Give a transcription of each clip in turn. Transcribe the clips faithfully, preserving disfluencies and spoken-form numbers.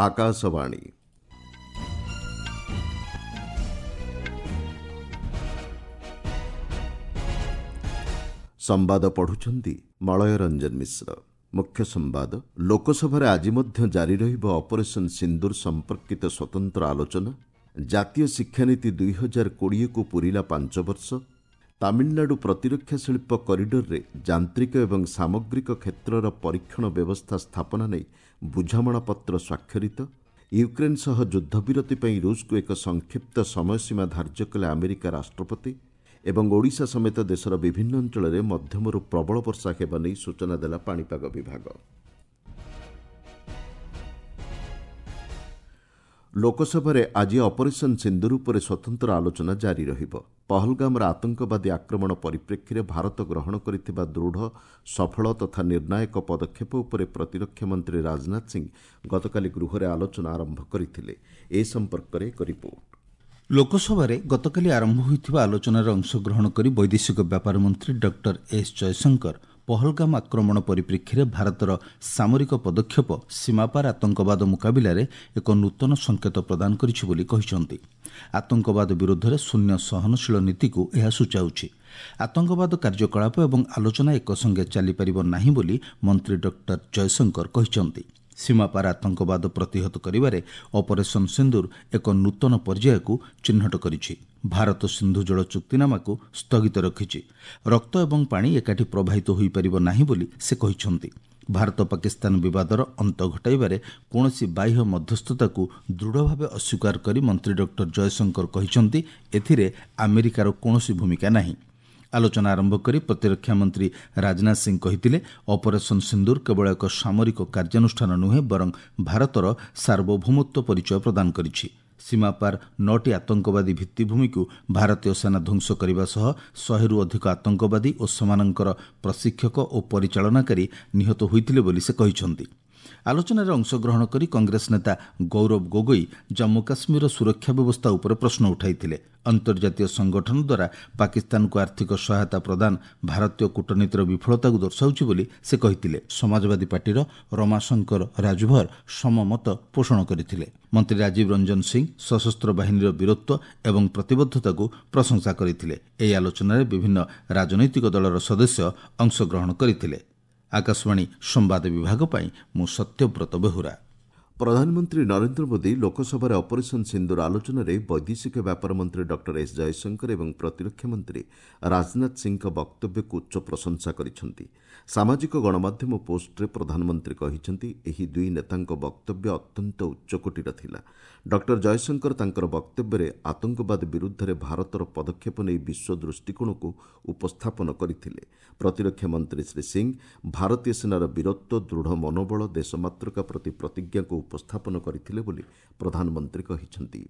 ଆକାଶବାଣୀ। ସମ୍ବାଦ ପଢୁଛନ୍ତି ମଳୟ ରଞ୍ଜନ ମିଶ୍ର। ମୁଖ୍ୟ ସମ୍ବାଦ, ଲୋକସଭାରେ ଆଜି ମଧ୍ୟ ଜାରି ରହିବ ଅପରେସନ୍ ସିନ୍ଦୁର ସମ୍ପର୍କିତ ସ୍ୱତନ୍ତ୍ର ଆଲୋଚନା। ଜାତୀୟ ଶିକ୍ଷାନୀତି ଦୁଇ ହଜାର କୋଡ଼ିଏକୁ ପୂରିଲା ପାଞ୍ଚ ବର୍ଷ। ତାମିଲନାଡୁ ପ୍ରତିରକ୍ଷା ଶିଳ୍ପ କରିଡରରେ ଯାନ୍ତ୍ରିକ ଏବଂ ସାମଗ୍ରିକ କ୍ଷେତ୍ରର ପରୀକ୍ଷଣ ବ୍ୟବସ୍ଥା ସ୍ଥାପନା ନେଇ ବୁଝାମଣାପତ୍ର ସ୍ୱାକ୍ଷରିତ। ୟୁକ୍ରେନ୍ ସହ ଯୁଦ୍ଧବିରତି ପାଇଁ ରୁଷକୁ ଏକ ସଂକ୍ଷିପ୍ତ ସମୟସୀମା ଧାର୍ଯ୍ୟ କଲେ ଆମେରିକା ରାଷ୍ଟ୍ରପତି। ଏବଂ ଓଡ଼ିଶା ସମେତ ଦେଶର ବିଭିନ୍ନ ଅଞ୍ଚଳରେ ମଧ୍ୟମରୁ ପ୍ରବଳ ବର୍ଷା ହେବା ନେଇ ସୂଚନା ଦେଲା ପାଣିପାଗ ବିଭାଗ। ଲୋକସଭାରେ ଆଜି ଅପରେସନ୍ ସିନ୍ଦୁର ଉପରେ ସ୍ୱତନ୍ତ୍ର ଆଲୋଚନା ଜାରି ରହିବ। ପହଲଗାମର ଆତଙ୍କବାଦୀ ଆକ୍ରମଣ ପରିପ୍ରେକ୍ଷୀରେ ଭାରତ ଗ୍ରହଣ କରିଥିବା ଦୃଢ଼, ସଫଳ ତଥା ନିର୍ଣ୍ଣାୟକ ପଦକ୍ଷେପ ଉପରେ ପ୍ରତିରକ୍ଷା ମନ୍ତ୍ରୀ ରାଜନାଥ ସିଂ ଗତକାଲି ଗୃହରେ ଆଲୋଚନା ଆରମ୍ଭ କରିଥିଲେ। ଏ ସମ୍ପର୍କରେ ଏକ ରିପୋର୍ଟ। ଲୋକସଭାରେ ଗତକାଲି ଆରମ୍ଭ ହୋଇଥିବା ଆଲୋଚନାରେ ଅଂଶଗ୍ରହଣ କରି ବୈଦେଶିକ ବ୍ୟାପାର ମନ୍ତ୍ରୀ ଡକ୍ଟର ଏସ୍ ଜୟଶଙ୍କର ପହଲଗାମ ଆକ୍ରମଣ ପରିପ୍ରେକ୍ଷୀରେ ଭାରତର ସାମରିକ ପଦକ୍ଷେପ ସୀମାପାର ଆତଙ୍କବାଦ ମୁକାବିଲାରେ ଏକ ନୂତନ ସଂକେତ ପ୍ରଦାନ କରିଛି ବୋଲି କହିଛନ୍ତି। ଆତଙ୍କବାଦ ବିରୋଧରେ ଶୂନ୍ୟ ସହନଶୀଳ ନୀତିକୁ ଏହା ସୂଚାଉଛି। ଆତଙ୍କବାଦ କାର୍ଯ୍ୟକଳାପ ଏବଂ ଆଲୋଚନା ଏକ ସଙ୍ଗେ ଚାଲିପାରିବ ନାହିଁ ବୋଲି ମନ୍ତ୍ରୀ ଡକ୍ଟର ଜୟଶଙ୍କର କହିଛନ୍ତି। ସୀମାପାର ଆତଙ୍କବାଦ ପ୍ରତିହତ କରିବାରେ ଅପରେସନ୍ ସିନ୍ଦୁର ଏକ ନୂତନ ପର୍ଯ୍ୟାୟକୁ ଚିହ୍ନଟ କରିଛି। ଭାରତ ସିନ୍ଧୁ ଜଳ ଚୁକ୍ତିନାମାକୁ ସ୍ଥଗିତ ରଖିଛି। ରକ୍ତ ଏବଂ ପାଣି ଏକାଠି ପ୍ରବାହିତ ହୋଇପାରିବ ନାହିଁ ବୋଲି ସେ କହିଛନ୍ତି। ଭାରତ ପାକିସ୍ତାନ ବିବାଦର ଅନ୍ତ ଘଟାଇବାରେ କୌଣସି ବାହ୍ୟ ମଧ୍ୟସ୍ଥତାକୁ ଦୃଢ଼ ଭାବେ ଅସ୍ୱୀକାର କରି ମନ୍ତ୍ରୀ ଡକ୍ଟର ଜୟଶଙ୍କର କହିଛନ୍ତି, ଏଥିରେ ଆମେରିକାର କୌଣସି ଭୂମିକା ନାହିଁ। ଆଲୋଚନା ଆରମ୍ଭ କରି ପ୍ରତିରକ୍ଷା ମନ୍ତ୍ରୀ ରାଜନାଥ ସିଂ କହିଥିଲେ, ଅପରେସନ୍ ସିନ୍ଦୁର କେବଳ ଏକ ସାମରିକ କାର୍ଯ୍ୟାନୁଷ୍ଠାନ ନୁହେଁ, ବରଂ ଭାରତର ସାର୍ବଭୌମତ୍ୱ ପରିଚୟ ପ୍ରଦାନ କରିଛି। ସୀମାପାର ନଅଟି ଆତଙ୍କବାଦୀ ଭିତ୍ତିଭୂମିକୁ ଭାରତୀୟ ସେନା ଧ୍ୱଂସ କରିବା ସହ ଶହେରୁ ଅଧିକ ଆତଙ୍କବାଦୀ ଓ ସେମାନଙ୍କର ପ୍ରଶିକ୍ଷକ ଓ ପରିଚାଳନାକାରୀ ନିହତ ହୋଇଥିଲେ ବୋଲି ସେ କହିଛନ୍ତି। ଆଲୋଚନାରେ ଅଂଶଗ୍ରହଣ କରି କଂଗ୍ରେସ ନେତା ଗୌରବ ଗୋଗୋଇ ଜମ୍ମୁ କାଶ୍ମୀରର ସୁରକ୍ଷା ବ୍ୟବସ୍ଥା ଉପରେ ପ୍ରଶ୍ନ ଉଠାଇଥିଲେ। ଅନ୍ତର୍ଜାତୀୟ ସଂଗଠନ ଦ୍ୱାରା ପାକିସ୍ତାନକୁ ଆର୍ଥିକ ସହାୟତା ପ୍ରଦାନ ଭାରତୀୟ କୂଟନୀତିର ବିଫଳତାକୁ ଦର୍ଶାଉଛି ବୋଲି ସେ କହିଥିଲେ। ସମାଜବାଦୀ ପାର୍ଟିର ରମାଶଙ୍କର ରାଜଭର ସମମତ ପୋଷଣ କରିଥିଲେ। ମନ୍ତ୍ରୀ ରାଜୀବ ରଞ୍ଜନ ସିଂ ସଶସ୍ତ୍ର ବାହିନୀର ବୀରତ୍ୱ ଏବଂ ପ୍ରତିବଦ୍ଧତାକୁ ପ୍ରଶଂସା କରିଥିଲେ। ଏହି ଆଲୋଚନାରେ ବିଭିନ୍ନ ରାଜନୈତିକ ଦଳର ସଦସ୍ୟ ଅଂଶଗ୍ରହଣ କରିଥିଲେ। ଆକାଶବାଣୀ ସମ୍ବାଦ ବିଭାଗ ପାଇଁ ମୁଁ ସତ୍ୟବ୍ରତ ବେହୁରା। ପ୍ରଧାନମନ୍ତ୍ରୀ ନରେନ୍ଦ୍ର ମୋଦି ଲୋକସଭାରେ ଅପରେସନ୍ ସିନ୍ଦୁର ଆଲୋଚନାରେ ବୈଦେଶିକ ବ୍ୟାପାର ମନ୍ତ୍ରୀ ଡକ୍ଟର ଏସ୍ ଜୟଶଙ୍କର ଏବଂ ପ୍ରତିରକ୍ଷା ମନ୍ତ୍ରୀ ରାଜନାଥ ସିଂଙ୍କ ବକ୍ତବ୍ୟକୁ ଉଚ୍ଚ ପ୍ରଶଂସା କରିଛନ୍ତି। ସାମାଜିକ ଗଣମାଧ୍ୟମ ପୋଷ୍ଟରେ ପ୍ରଧାନମନ୍ତ୍ରୀ କହିଛନ୍ତି, ଏହି ଦୁଇ ନେତାଙ୍କ ବକ୍ତବ୍ୟ ଅତ୍ୟନ୍ତ ଉଚ୍ଚକୋଟୀର ଥିଲା। ଡକ୍ଟର ଜୟଶଙ୍କର ତାଙ୍କର ବକ୍ତବ୍ୟରେ ଆତଙ୍କବାଦ ବିରୁଦ୍ଧରେ ଭାରତର ପଦକ୍ଷେପ ନେଇ ବିଶ୍ୱ ଦୃଷ୍ଟିକୋଣକୁ ଉପସ୍ଥାପନ କରିଥିଲେ। ପ୍ରତିରକ୍ଷା ମନ୍ତ୍ରୀ ଶ୍ରୀ ସିଂ ଭାରତୀୟ ସେନାର ବୀରତ୍ୱ, ଦୃଢ଼ ମନୋବଳ, ଦେଶମାତୃକା ପ୍ରତି ପ୍ରତିଜ୍ଞାକୁ ଉପସ୍ଥାପନ କରିଥିଲେ ବୋଲି ପ୍ରଧାନମନ୍ତ୍ରୀ କହିଛନ୍ତି।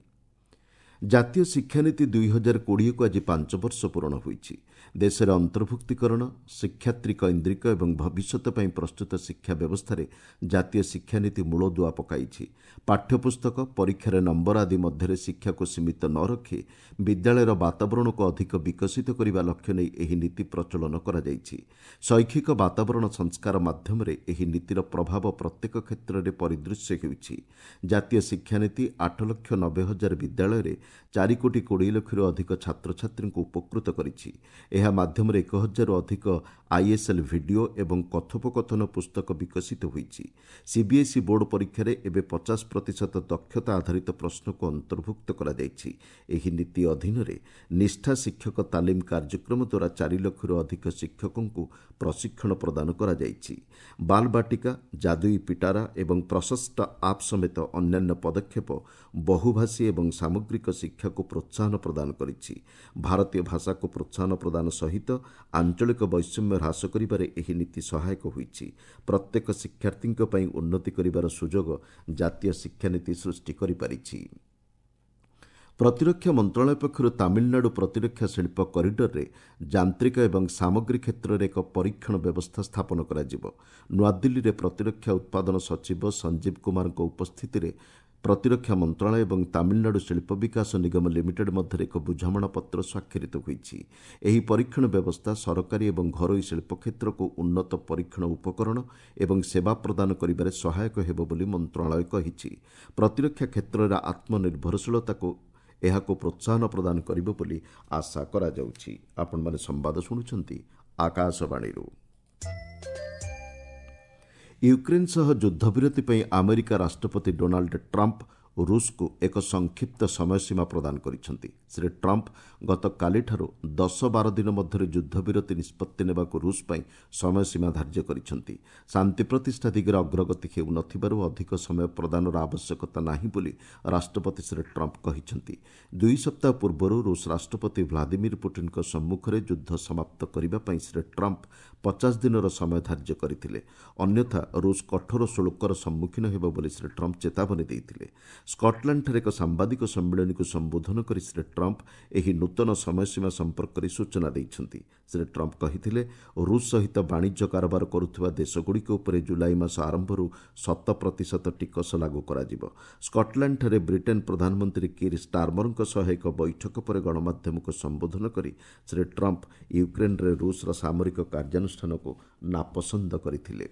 ଜାତୀୟ ଶିକ୍ଷାନୀତି ଦୁଇ ହଜାର କୋଡ଼ିଏକୁ ଆଜି ପାଞ୍ଚ ବର୍ଷ ପୂରଣ ହୋଇଛି। ଦେଶରେ ଅନ୍ତର୍ଭୁକ୍ତୀକରଣ, ଶିକ୍ଷାର୍ଥୀ କୈନ୍ଦ୍ରିକ ଏବଂ ଭବିଷ୍ୟତ ପାଇଁ ପ୍ରସ୍ତୁତ ଶିକ୍ଷା ବ୍ୟବସ୍ଥାରେ ଜାତୀୟ ଶିକ୍ଷାନୀତି ମୂଳଦୁଆ ପକାଇଛି। ପାଠ୍ୟପୁସ୍ତକ, ପରୀକ୍ଷାରେ ନମ୍ବର ଆଦି ମଧ୍ୟରେ ଶିକ୍ଷାକୁ ସୀମିତ ନ ରଖି ବିଦ୍ୟାଳୟର ବାତାବରଣକୁ ଅଧିକ ବିକଶିତ କରିବା ଲକ୍ଷ୍ୟ ନେଇ ଏହି ନୀତି ପ୍ରଚଳନ କରାଯାଇଛି। ଶୈକ୍ଷିକ ବାତାବରଣ ସଂସ୍କାର ମାଧ୍ୟମରେ ଏହି ନୀତିର ପ୍ରଭାବ ପ୍ରତ୍ୟେକ କ୍ଷେତ୍ରରେ ପରିଦୃଶ୍ୟ ହେଉଛି। ଜାତୀୟ ଶିକ୍ଷାନୀତି ଆଠ ଲକ୍ଷ ନବେ ହଜାର ବିଦ୍ୟାଳୟରେ ଚାରି କୋଟି କୋଡ଼ିଏ ଲକ୍ଷରୁ ଅଧିକ ଛାତ୍ରଛାତ୍ରୀଙ୍କୁ ଉପକୃତ କରିଛି। ଏହା ମାଧ୍ୟମରେ ଏକ ହଜାରରୁ ଅଧିକ ଆଇଏସ୍ଏଲ୍ ଭିଡିଓ ଏବଂ କଥୋପକଥନ ପୁସ୍ତକ ବିକଶିତ ହୋଇଛି। ସିବିଏସ୍ଇ ବୋର୍ଡ ପରୀକ୍ଷାରେ ଏବେ ପଚାଶ ପ୍ରତିଶତ ଦକ୍ଷତା ଆଧାରିତ ପ୍ରଶ୍ନକୁ ଅନ୍ତର୍ଭୁକ୍ତ କରାଯାଇଛି। ଏହି ନୀତି ଅଧୀନରେ ନିଷ୍ଠା ଶିକ୍ଷକ ତାଲିମ କାର୍ଯ୍ୟକ୍ରମ ଦ୍ୱାରା ଚାରି ଲକ୍ଷରୁ ଅଧିକ ଶିକ୍ଷକଙ୍କୁ ପ୍ରଶିକ୍ଷଣ ପ୍ରଦାନ କରାଯାଇଛି। ବାଲବାଟିକା, ଯାଦୁଇ ପିଟାରା ଏବଂ ପ୍ରଶସ୍ତ ଆପ୍ ସମେତ ଅନ୍ୟାନ୍ୟ ପଦକ୍ଷେପ ବହୁଭାଷୀ ଏବଂ ସାମଗ୍ରିକ ଶିକ୍ଷାକୁ ପ୍ରୋତ୍ସାହନ ପ୍ରଦାନ କରିଛି। ଭାରତୀୟ ଭାଷାକୁ ପ୍ରୋତ୍ସାହନ ପ୍ରଦାନ ସହିତ ଆଞ୍ଚଳିକ ବୈଷମ୍ୟ ହ୍ରାସ କରିବାରେ ଏହି ନୀତି ସହାୟକ ହୋଇଛି। ପ୍ରତ୍ୟେକ ଶିକ୍ଷାର୍ଥୀଙ୍କ ପାଇଁ ଉନ୍ନତି କରିବାର ସୁଯୋଗ ଜାତୀୟ ଶିକ୍ଷାନୀତି ସୃଷ୍ଟି କରିପାରିଛି। ପ୍ରତିରକ୍ଷା ମନ୍ତ୍ରଣାଳୟ ପକ୍ଷରୁ ତାମିଲନାଡୁ ପ୍ରତିରକ୍ଷା ଶିଳ୍ପ କରିଡରରେ ଯାନ୍ତ୍ରିକ ଏବଂ ସାମଗ୍ରୀ କ୍ଷେତ୍ରରେ ଏକ ପରୀକ୍ଷଣ ବ୍ୟବସ୍ଥା ସ୍ଥାପନ କରାଯିବ। ନୂଆଦିଲ୍ଲୀରେ ପ୍ରତିରକ୍ଷା ଉତ୍ପାଦନ ସଚିବ ସଞ୍ଜୀବ କୁମାରଙ୍କ ଉପସ୍ଥିତିରେ ପ୍ରତିରକ୍ଷା ମନ୍ତ୍ରଣାଳୟ ଏବଂ ତାମିଲନାଡୁ ଶିଳ୍ପ ବିକାଶ ନିଗମ ଲିମିଟେଡ୍ ମଧ୍ୟରେ ଏକ ବୁଝାମଣାପତ୍ର ସ୍ୱାକ୍ଷରିତ ହୋଇଛି। ଏହି ପରୀକ୍ଷଣ ବ୍ୟବସ୍ଥା ସରକାରୀ ଏବଂ ଘରୋଇ ଶିଳ୍ପ କ୍ଷେତ୍ରକୁ ଉନ୍ନତ ପରୀକ୍ଷଣ ଉପକରଣ ଏବଂ ସେବା ପ୍ରଦାନ କରିବାରେ ସହାୟକ ହେବ ବୋଲି ମନ୍ତ୍ରଣାଳୟ କହିଛି। ପ୍ରତିରକ୍ଷା କ୍ଷେତ୍ରରେ ଆତ୍ମନିର୍ଭରଶୀଳତାକୁ ଏହାକୁ ପ୍ରୋତ୍ସାହନ ପ୍ରଦାନ କରିବ ବୋଲି ଆଶା କରାଯାଉଛି। ଆପଣମାନେ ସମ୍ବାଦ ଶୁଣୁଛନ୍ତି ଆକାଶବାଣୀରୁ। ୟୁକ୍ରେନ୍ ସହ ଯୁଦ୍ଧବିରତି ପାଇଁ ଆମେରିକା ରାଷ୍ଟ୍ରପତି ଡୋନାଲ୍ଡ ଟ୍ରମ୍ପ ରୁଷକୁ ଏକ ସଂକ୍ଷିପ୍ତ ସମୟସୀମା ପ୍ରଦାନ କରିଛନ୍ତି। ଶ୍ରୀ ଟ୍ରମ୍ପ ଗତକାଲିଠାରୁ ଦଶ ବାର ଦିନ ମଧ୍ୟରେ ଯୁଦ୍ଧବିରତି ନିଷ୍ପତ୍ତି ନେବାକୁ ରୁଷ ପାଇଁ ସମୟସୀମା ଧାର୍ଯ୍ୟ କରିଛନ୍ତି। ଶାନ୍ତି ପ୍ରତିଷ୍ଠା ଦିଗରେ ଅଗ୍ରଗତି ହେଉନଥିବାରୁ ଅଧିକ ସମୟ ପ୍ରଦାନର ଆବଶ୍ୟକତା ନାହିଁ ବୋଲି ରାଷ୍ଟ୍ରପତି ଶ୍ରୀ ଟ୍ରମ୍ପ କହିଛନ୍ତି। ଦୁଇ ସପ୍ତାହ ପୂର୍ବରୁ ରୁଷ ରାଷ୍ଟ୍ରପତି ଭ୍ଲାଦିମିର ପୁଟିନଙ୍କ ସମ୍ମୁଖରେ ଯୁଦ୍ଧ ସମାପ୍ତ କରିବା ପାଇଁ ଶ୍ରୀ ଟ୍ରମ୍ପ ପଚାଶ ଦିନର ସମୟ ଧାର୍ଯ୍ୟ କରିଥିଲେ। ଅନ୍ୟଥା ରୁଷ କଠୋର ଶୁଳ୍କର ସମ୍ମୁଖୀନ ହେବ ବୋଲି ଶ୍ରୀ ଟ୍ରମ୍ପ ଚେତାବନୀ ଦେଇଥିଲେ। ସ୍କଟଲ୍ୟାଣ୍ଡଠାରେ ଏକ ସାମ୍ବାଦିକ ସମ୍ମିଳନୀକୁ ସମ୍ବୋଧନ କରି ଶ୍ରୀ ଟ୍ରମ୍ପ ଏହି ନୂତନ ସମୟସୀମା ସମ୍ପର୍କରେ ସୂଚନା ଦେଇଛନ୍ତି। ଶ୍ରୀ ଟ୍ରମ୍ପ କହିଥିଲେ, ରୁଷ ସହିତ ବାଣିଜ୍ୟ କାରବାର କରୁଥିବା ଦେଶଗୁଡ଼ିକ ଉପରେ ଜୁଲାଇ ମାସ ଆରମ୍ଭରୁ ଶତ ପ୍ରତିଶତ ଟିକସ ଲାଗୁ କରାଯିବ। ସ୍କଟଲ୍ୟାଣ୍ଡଠାରେ ବ୍ରିଟେନ୍ ପ୍ରଧାନମନ୍ତ୍ରୀ କିର୍ ଷ୍ଟାର୍ମରଙ୍କ ସହ ଏକ ବୈଠକ ପରେ ଗଣମାଧ୍ୟମକୁ ସମ୍ବୋଧନ କରି ଶ୍ରୀ ଟ୍ରମ୍ପ ୟୁକ୍ରେନ୍ରେ ରୁଷର ସାମରିକ କାର୍ଯ୍ୟାନୁଷ୍ଠାନକୁ ନାପସନ୍ଦ କରିଥିଲେ।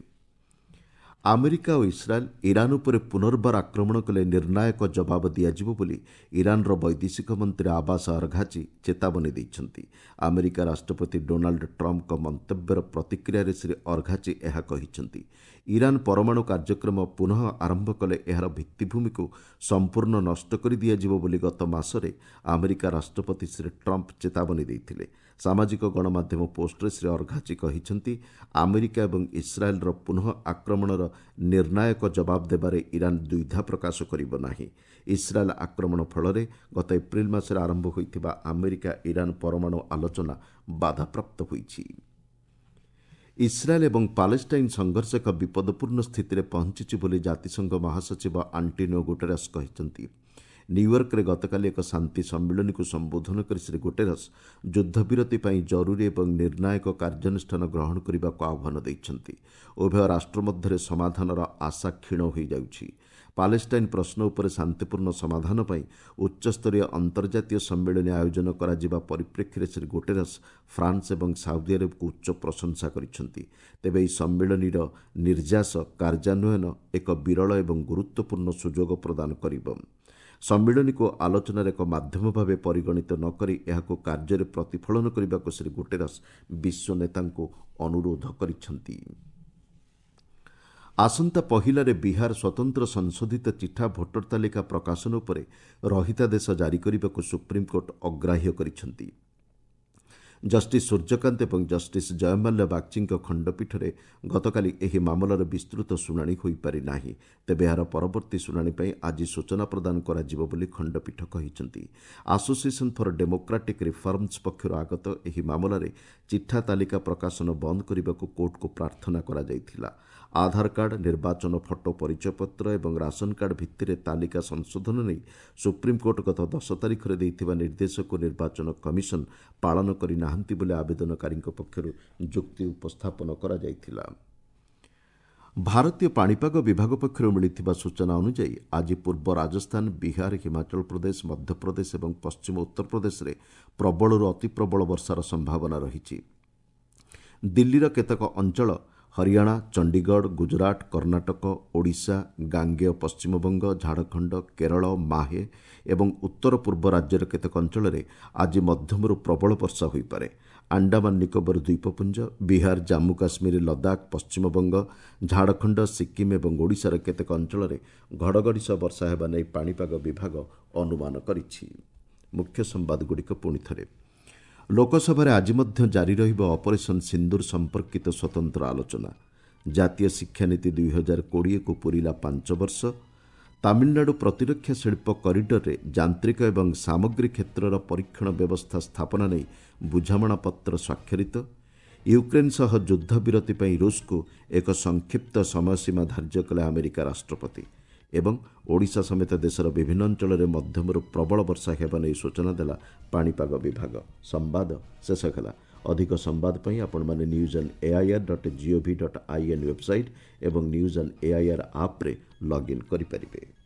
ଆମେରିକା ଓ ଇସ୍ରାଏଲ୍ ଇରାନ୍ ଉପରେ ପୁନର୍ବାର ଆକ୍ରମଣ କଲେ ନିର୍ଣ୍ଣାୟକ ଜବାବ ଦିଆଯିବ ବୋଲି ଇରାନ୍ର ବୈଦେଶିକ ମନ୍ତ୍ରୀ ଆବାସ ଅରଘାଚି ଚେତାବନୀ ଦେଇଛନ୍ତି। ଆମେରିକା ରାଷ୍ଟ୍ରପତି ଡୋନାଲ୍ଡ ଟ୍ରମ୍ପଙ୍କ ମନ୍ତବ୍ୟର ପ୍ରତିକ୍ରିୟାରେ ଶ୍ରୀ ଅରଘାଚି ଏହା କହିଛନ୍ତି। ଇରାନ୍ ପରମାଣୁ କାର୍ଯ୍ୟକ୍ରମ ପୁନଃ ଆରମ୍ଭ କଲେ ଏହାର ଭିତ୍ତିଭୂମିକୁ ସମ୍ପୂର୍ଣ୍ଣ ନଷ୍ଟ କରି ଦିଆଯିବ ବୋଲି ଗତ ମାସରେ ଆମେରିକା ରାଷ୍ଟ୍ରପତି ଶ୍ରୀ ଟ୍ରମ୍ପ ଚେତାବନୀ ଦେଇଥିଲେ। ସାମାଜିକ ଗଣମାଧ୍ୟମ ପୋଷ୍ଟରେ ଶ୍ରୀ ଅରଘାଚି କହିଛନ୍ତି, ଆମେରିକା ଏବଂ ଇସ୍ରାଏଲ୍ର ପୁନଃ ଆକ୍ରମଣର ନିର୍ଣ୍ଣାୟକ ଜବାବ ଦେବାରେ ଇରାନ୍ ଦ୍ୱିଧା ପ୍ରକାଶ କରିବ ନାହିଁ। ଇସ୍ରାଏଲ୍ ଆକ୍ରମଣ ଫଳରେ ଗତ ଏପ୍ରିଲ ମାସରେ ଆରମ୍ଭ ହୋଇଥିବା ଆମେରିକା ଇରାନ୍ ପରମାଣୁ ଆଲୋଚନା ବାଧାପ୍ରାପ୍ତ ହୋଇଛି। ଇସ୍ରାଏଲ୍ ଏବଂ ପାଲେଷ୍ଟାଇନ୍ ସଂଘର୍ଷ ଏକ ବିପଦପୂର୍ଣ୍ଣ ସ୍ଥିତିରେ ପହଞ୍ଚିଛି ବୋଲି ଜାତିସଂଘ ମହାସଚିବ ଆଣ୍ଟୋନିଓ ଗୁଟେରସ୍ କହିଛନ୍ତି। ନ୍ୟୁୟର୍କରେ ଗତକାଲି ଏକ ଶାନ୍ତି ସମ୍ମିଳନୀକୁ ସମ୍ବୋଧନ କରି ଶ୍ରୀ ଗୁଟେରସ୍ ଯୁଦ୍ଧବିରତି ପାଇଁ ଜରୁରୀ ଏବଂ ନିର୍ଣ୍ଣାୟକ କାର୍ଯ୍ୟାନୁଷ୍ଠାନ ଗ୍ରହଣ କରିବାକୁ ଆହ୍ୱାନ ଦେଇଛନ୍ତି। ଉଭୟ ରାଷ୍ଟ୍ର ମଧ୍ୟରେ ସମାଧାନର ଆଶା କ୍ଷୀଣ ହୋଇଯାଉଛି। ପାଲେଷ୍ଟାଇନ୍ ପ୍ରଶ୍ନ ଉପରେ ଶାନ୍ତିପୂର୍ଣ୍ଣ ସମାଧାନ ପାଇଁ ଉଚ୍ଚସ୍ତରୀୟ ଅନ୍ତର୍ଜାତୀୟ ସମ୍ମିଳନୀ ଆୟୋଜନ କରାଯିବା ପରିପ୍ରେକ୍ଷୀରେ ଶ୍ରୀ ଗୁଟେରସ୍ ଫ୍ରାନ୍ସ ଏବଂ ସାଉଦି ଆରବକୁ ଉଚ୍ଚ ପ୍ରଶଂସା କରିଛନ୍ତି। ତେବେ ଏହି ସମ୍ମିଳନୀର ନିର୍ଯାସ କାର୍ଯ୍ୟାନ୍ୱୟନ ଏକ ବିରଳ ଏବଂ ଗୁରୁତ୍ୱପୂର୍ଣ୍ଣ ସୁଯୋଗ ପ୍ରଦାନ କରିବ। ସମ୍ମିଳନୀକୁ ଆଲୋଚନାର ଏକ ମାଧ୍ୟମ ଭାବେ ପରିଗଣିତ ନ କରି ଏହାକୁ କାର୍ଯ୍ୟରେ ପ୍ରତିଫଳନ କରିବାକୁ ଶ୍ରୀ ଗୁଟେରସ୍ ବିଶ୍ୱ ନେତାଙ୍କୁ ଅନୁରୋଧ କରିଛନ୍ତି। ଆସନ୍ତା ପହିଲାରେ ବିହାର ସ୍ୱତନ୍ତ୍ର ସଂଶୋଧିତ ଚିଠା ଭୋଟର ତାଲିକା ପ୍ରକାଶନ ଉପରେ ରହିତାଦେଶ ଜାରି କରିବାକୁ ସୁପ୍ରିମକୋର୍ଟ ଅଗ୍ରାହ୍ୟ କରିଛନ୍ତି। ଜଷ୍ଟିସ୍ ସୂର୍ଯ୍ୟକାନ୍ତ ଏବଂ ଜଷ୍ଟିସ୍ ଜୟମାଲ୍ୟ ବାଗ୍ଚୀଙ୍କ ଖଣ୍ଡପୀଠରେ ଗତକାଲି ଏହି ମାମଲାର ବିସ୍ତୃତ ଶୁଣାଣି ହୋଇପାରିନାହିଁ। ତେବେ ଏହାର ପରବର୍ତ୍ତୀ ଶୁଣାଣି ପାଇଁ ଆଜି ସୂଚନା ପ୍ରଦାନ କରାଯିବ ବୋଲି ଖଣ୍ଡପୀଠ କହିଛନ୍ତି। ଆସୋସିଏସନ୍ ଫର୍ ଡେମୋକ୍ରାଟିକ୍ ରିଫର୍ମସ୍ ପକ୍ଷରୁ ଆଗତ ଏହି ମାମଲାରେ ଚିଠା ତାଲିକା ପ୍ରକାଶନ ବନ୍ଦ କରିବାକୁ କୋର୍ଟକୁ ପ୍ରାର୍ଥନା କରାଯାଇଥିଲା। ଆଧାର କାର୍ଡ, ନିର୍ବାଚନ ଫଟୋ ପରିଚୟପତ୍ର ଏବଂ ରାସନ କାର୍ଡ ଭିତ୍ତିରେ ତାଲିକା ସଂଶୋଧନ ନେଇ ସୁପ୍ରିମକୋର୍ଟ ଗତ ଦଶ ତାରିଖରେ ଦେଇଥିବା ନିର୍ଦ୍ଦେଶକୁ ନିର୍ବାଚନ କମିଶନ ପାଳନ କରିନାହାନ୍ତି ବୋଲି ଆବେଦନକାରୀଙ୍କ ପକ୍ଷରୁ ଯୁକ୍ତି ଉପସ୍ଥାପନ କରାଯାଇଥିଲା। ଭାରତୀୟ ପାଣିପାଗ ବିଭାଗ ପକ୍ଷରୁ ମିଳିଥିବା ସୂଚନା ଅନୁଯାୟୀ ଆଜି ପୂର୍ବ ରାଜସ୍ଥାନ, ବିହାର, ହିମାଚଳ ପ୍ରଦେଶ, ମଧ୍ୟପ୍ରଦେଶ ଏବଂ ପଶ୍ଚିମ ଉତ୍ତରପ୍ରଦେଶରେ ପ୍ରବଳରୁ ଅତିପ୍ରବଳ ବର୍ଷାର ସମ୍ଭାବନା ରହିଛି। ଦିଲ୍ଲୀର କେତେକ ଅଞ୍ଚଳ, ହରିୟାଣା, ଚଣ୍ଡିଗଡ଼, ଗୁଜରାଟ, କର୍ଣ୍ଣାଟକ, ଓଡ଼ିଶା, ଗାଙ୍ଗେୟ ପଶ୍ଚିମବଙ୍ଗ, ଝାଡ଼ଖଣ୍ଡ, କେରଳ, ମାହେ ଏବଂ ଉତ୍ତର ପୂର୍ବ ରାଜ୍ୟର କେତେକ ଅଞ୍ଚଳରେ ଆଜି ମଧ୍ୟମରୁ ପ୍ରବଳ ବର୍ଷା ହୋଇପାରେ। ଆଣ୍ଡାମାନ ନିକୋବର ଦ୍ୱୀପପୁଞ୍ଜ, ବିହାର, ଜାମ୍ମୁ କାଶ୍ମୀର, ଲଦାଖ, ପଶ୍ଚିମବଙ୍ଗ, ଝାଡ଼ଖଣ୍ଡ, ସିକ୍କିମ୍ ଏବଂ ଓଡ଼ିଶାର କେତେକ ଅଞ୍ଚଳରେ ଘଡ଼ଘଡ଼ି ସହ ବର୍ଷା ହେବା ନେଇ ପାଣିପାଗ ବିଭାଗ ଅନୁମାନ କରିଛି। ମୁଖ୍ୟ ସମ୍ବାଦଗୁଡ଼ିକ ପୁଣି ଥରେ। ଲୋକସଭାରେ ଆଜି ମଧ୍ୟ ଜାରି ରହିବ ଅପରେସନ୍ ସିନ୍ଦୁର ସମ୍ପର୍କିତ ସ୍ୱତନ୍ତ୍ର ଆଲୋଚନା। ଜାତୀୟ ଶିକ୍ଷାନୀତି ଦୁଇ ହଜାର କୋଡ଼ିଏକୁ ପୂରିଲା ପାଞ୍ଚ ବର୍ଷ। ତାମିଲନାଡୁ ପ୍ରତିରକ୍ଷା ଶିଳ୍ପ କରିଡରରେ ଯାନ୍ତ୍ରିକ ଏବଂ ସାମଗ୍ରୀ କ୍ଷେତ୍ରର ପରୀକ୍ଷଣ ବ୍ୟବସ୍ଥା ସ୍ଥାପନା ନେଇ ବୁଝାମଣାପତ୍ର ସ୍ୱାକ୍ଷରିତ। ୟୁକ୍ରେନ୍ ସହ ଯୁଦ୍ଧବିରତି ପାଇଁ ରୁଷକୁ ଏକ ସଂକ୍ଷିପ୍ତ ସମୟସୀମା ଧାର୍ଯ୍ୟ କଲେ ଆମେରିକା ରାଷ୍ଟ୍ରପତି। ଏବଂ ଓଡ଼ିଶା ସମେତ ଦେଶର ବିଭିନ୍ନ ଅଞ୍ଚଳରେ ମଧ୍ୟମରୁ ପ୍ରବଳ ବର୍ଷା ହେବା ନେଇ ସୂଚନା ଦେଲା ପାଣିପାଗ ବିଭାଗ। ସମ୍ବାଦ ଶେଷ ହେଲା। ଅଧିକ ସମ୍ବାଦ ପାଇଁ ଆପଣମାନେ news on AIR dot gov dot I N website ଏବଂ ନ୍ୟୁଜ୍ ଅନ୍ ଏଆଇଆର୍ ଆପ୍ରେ ଲଗ୍ଇନ୍ କରିପାରିବେ।